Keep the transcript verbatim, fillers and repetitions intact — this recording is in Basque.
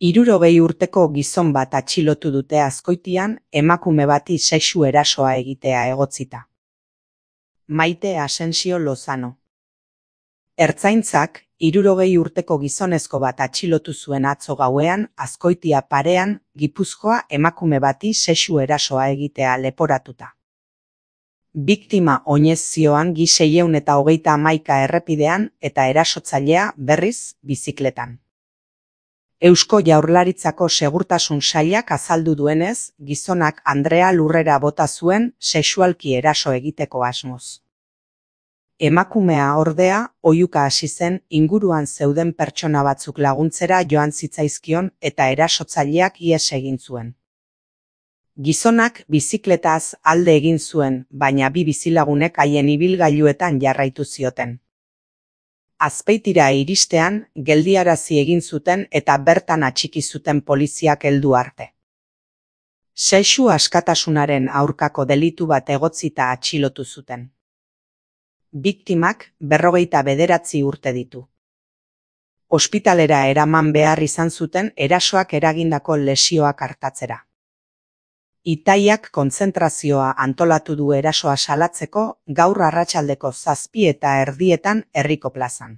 Hirurogei urteko gizon bat atxilotu dute Azkoitian emakume bati sexu erasoa egitea egotzita. Maite Asensio Lozano. Ertzaintzak hirurogei urteko gizonezko bat atxilotu zuen atzo gauean Azkoitia parean, Gipuzkoa emakume bati sexu erasoa egitea leporatuta. Biktima oinez zioan gi seiehun eta hogeita hamaika errepidean eta erasotzailea berriz bizikletan. Eusko Jaurlaritzako Segurtasun Sailak azaldu duenez, gizonak Andrea lurrera bota zuen sexualki eraso egiteko asmoz. Emakumea ordea, oihuka hasi zen inguruan zeuden pertsona batzuk laguntzera joan zitzaizkion eta erasotzaileak ihes egin zuen. Gizonak bizikletaz alde egin zuen, baina bi bizilagunek haien ibilgailuetan jarraitu zioten. Azpeitira iristean, geldiarazi egin zuten eta bertan atxiki zuten poliziak heldu arte. Sexu askatasunaren aurkako delitu bat egotzita atxilotu zuten. Biktimak berrogeita bederatzi urte ditu. Ospitalera eraman behar izan zuten erasoak eragindako lesioak artatzera. Itaiak kontzentrazioa antolatu du erasoa salatzeko gaur arratsaldeko zazpi eta erdietan herriko plazan.